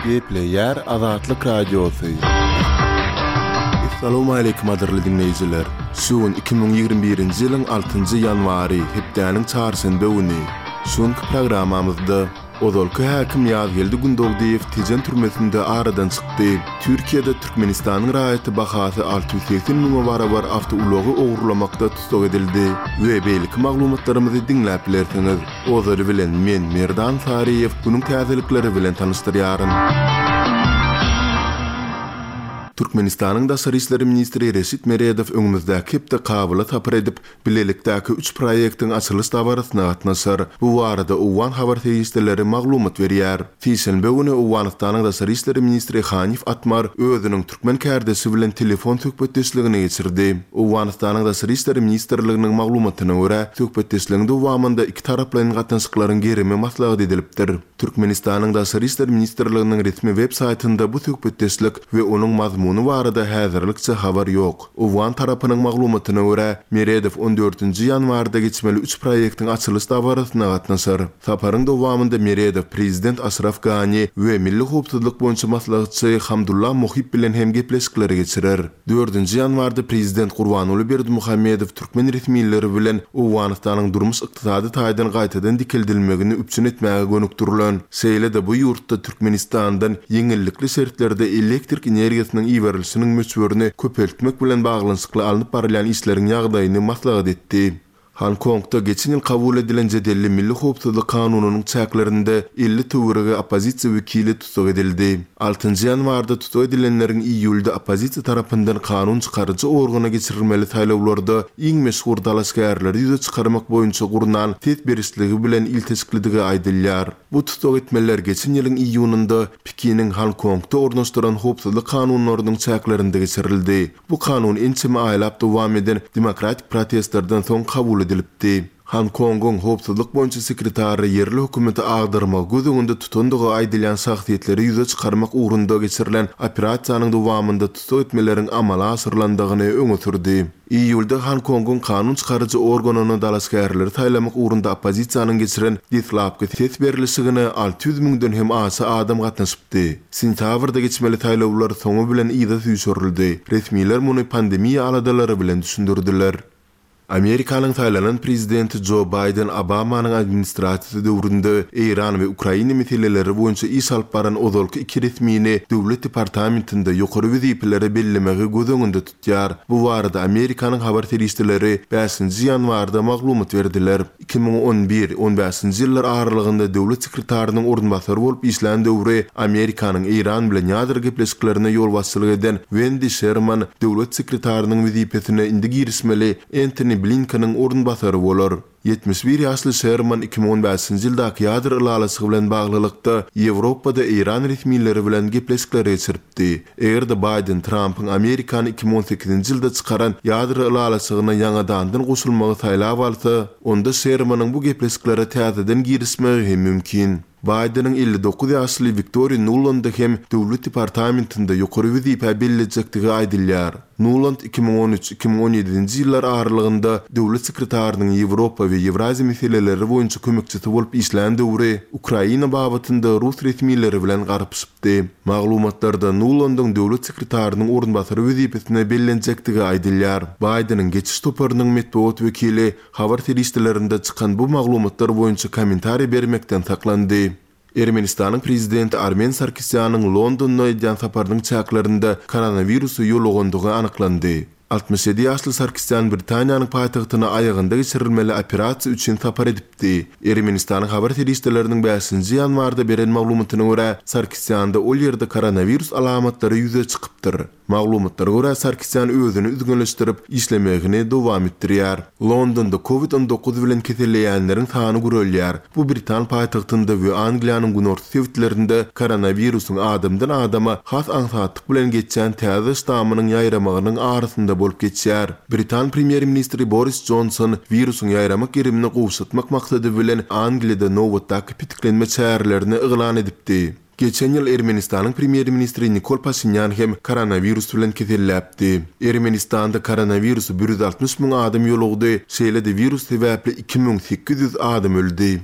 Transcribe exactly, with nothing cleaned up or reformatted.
Gepleýär Azatlyk Radiosy. Assalamualeykum gadyrly diňleýjiler. Şu gün iki müň ýigrimi birinji ýylyň altynjy ýanwary, hepdäniň çarşenbe güni. Şu günki programmamyzda ozalky häkim Ýazgeldi Gündogdyýew Tejen türmesinde aradan çykdy. Türkiýede Türkmenistanyň raýaty bahasy alty ýüz segsen müňe barabar awtoulagy ogurlamakda tussag edildi we beýleki maglumatlarymyzy diňläp bilersiňiz. Ozaly bilen men Merdan Saryýew günüň täzelikleri bilen tanyşdyrýaryn. Türkmenistanyň Daşary işler ministri Reşit Meredow öňümizdäki hepde Kabula sapar edip, bilelikdäki üç proýektiň açylyş dabarasyna gatnaşar. Bu barada owgan habar serişdeleri maglumat berýär. Sişenbe güni Owganystanyň Daşary işler ministri Hanif Atmar özüniň türkmen kärdeşi bilen telefon söhbetdeşligini geçirdi. Owganystanyň Daşary işler ministrliginiň maglumatyna görä, söhbetdeşligiň dowamynda iki taraplaýyn gatnaşyklaryň gerimi maslahat edilipdir. Türkmenistanyň Daşary işler ministrliginiň resmi web saýtynda bu söhbetdeşlik we onuň mazmuny barada häzirlikçe habar ýok. Owgan tarapynyň maglumatyna görä, Meredow on dördünji ýanwarda geçmeli üç proýektiň açylyş dabarasyna gatnaşar. Saparyň dowamynda Meredow prezident Aşraf Gani we Milli howpsuzlyk boýunça maslahatçy Hamdullah Mohib bilen hem gepleşikleri geçirer. Dördünji ýanwarda prezident Gurbanguly Berdimuhamedow türkmen resmileri bilen Owganystanyň durmuş-ykdysady taýdan gaýtadan dikeldilmegini üpjün etmäge gönükdirilen, şeýle-de bu ýurtda Türkmenistandan ýeňillikli şertlerde elektrik energiýasynyň iberilişiniň möçberini köpeltmek bilen baglanyşykly alnyp barylýan işleriň ýagdaýyny maslahat etdi. Hong-Kongda geçen ýyl kabul edilen jedelli Milli howpsuzlyk kanunynyň çäklerinde elli töweregi oppozisiýa wekili tussag edildi. Altynjy ýanwarda tussag edilenleriň iýulda oppozisiýa tarapyndan kanun çykaryjy organa geçirilmeli saýlawlarda iň meşhur dalaşgärleri ýüze çykarmak boýunça gurnan ses berişligi bilen ilteşiklidigi aýdylýar. Bu tussag etmeler geçen ýylyň iýunynda Pekiniň Hong-Kongda ornaşdyran howpsuzlyk kanunlarynyň çäklerinde geçirildi. Bu kanun ençeme aýlap dowam eden demokratik protestlerden soň kabul edilipdi. Hong-Kongyň howpsuzlyk boýunça sekretary ýerli hökümeti agdarmagy göz öňünde tutandygy aýdylýan şahsyýetleri ýüze çykarmak ugrunda geçirilen operasiýanyň dowamynda tussag etmeleriň amala aşyrylandygyny öňe sürdi. Iýulda Hong-Kongyň kanun çykaryjy organyna dalaşgärleri saýlamak ugrunda oppozisiýanyň geçiren deslapky ses berlişigine alty ýüz müňden hem aşa adam gatnaşypdy. Sentýabrda geçmeli saýlawlar soňy bilen yza süýşürildi. Resmiler muny pandemiýa aladalary bilen düşündirdiler. Amerikanyň saýlanan prezidenti Jo Baýden Obamanyň administrasiýasy döwründe Eýran we Ukraina meseleleri boýunça iş alyp baran ozalky iki resmini Döwlet departamentinde ýokary wezipelere bellemegi göz öňünde tutýar. Bu barada Amerikanyň habar serişdeleri bäşinji ýanwarda maglumat berdiler. iki müň on bir on bäşinji ýyllar aralygynda döwlet sekretarynyň orunbasary bolup işlän döwri Amerikanyň Eýran bilen ýadro gepleşiklerine ýolbaşçylyk eden Wendi Şerman döwlet sekretarynyň wezipesine indi girişmeli Entoni Blinkeniň orunbasary bolar. Ýetmiş bir ýaşly Şerman iki müň on bäşinji ýyldaky ýadro ylalaşygy bilen baglylykda Ýewropada Eýran resmileri bilen gepleşikler geçiripdi. Eger-de Baýden Trampyň Amerikany iki müň on sekizinji ýylda çykaran ýadro ylalaşygyna ýaňadandan goşulmagy saýlap alsa, onda Şermanyň bu gepleşiklere täzeden girişmegi hem mümkin. Baýdeniň elli dokuz ýaşly Wiktoriýa Nulandy hem Döwlet departamentinde ýokary wezipä bellejekdigi aýdylýar. Nuland iki müň on üç iki müň on ýedinji ýyllar aralygynda döwlet sekretarynyň Ýewropa we Ýewraziýa meseleleri boýunça kömekçisi bolup işlän döwri Ukraina babatynda rus resmileri bilen garpyşypdy. Maglumatlarda Nulandyň döwlet sekretarynyň orunbasary wezipesine bellenjekdigi aýdylýar. Baýdeniň geçiş toparynyň metbugat wekili habar serişdelerinde çykan bu maglumatlar boýunça kommentariý bermekden saklandy. Ermenistanyň prezidenti Armen Sarkisýanyň Londonda edýän saparynyň çäklerinde koronawirusy ýolugandygy anyklandy. Altmyş ýedi ýaşly Sarkisýan Britaniýanyň paýtagtyna aýagynda geçirilmeli operasiýa üçin sapar edipdi. Ermenistanyň habar serişdeleriniň bäşinji ýanwarda beren maglumatyna görä, Sarkisýanda ol ýerde koronawirus alamatlary ýüze çykypdyr. Maglumatlara görä, Sarkisýan özüni üzňeleşdirip, işlemegini dowam etdirýär. Londonda kovid on dokuz bilen keselleýänleriň sany gürelýär. Bu Britan paýtagtynda we Angliýanyň günorta sebitlerinde koronawirusyň adamdan adama has aňsatlyk bilen geçýän täze ştamynyň ýaýramagynyň arasynda bolup geçýär. Britan premýer-ministri Boris Johnson wirusyň ýaýramak gerimini gowşatmak maksady bilen Angliýada nobatdaky pitiklenme çärelerini yglan edipdi. Geçen ýyl Ermenistanyň premýer-ministri Nikol Paşinýan hem koronawirus bilen keselläpdi. Ermenistanda koronawirusy bir ýüz altmyş müň adam ýolugdy, şeýle-de wirus sebäpli iki müň sekiz ýüz adam öldi.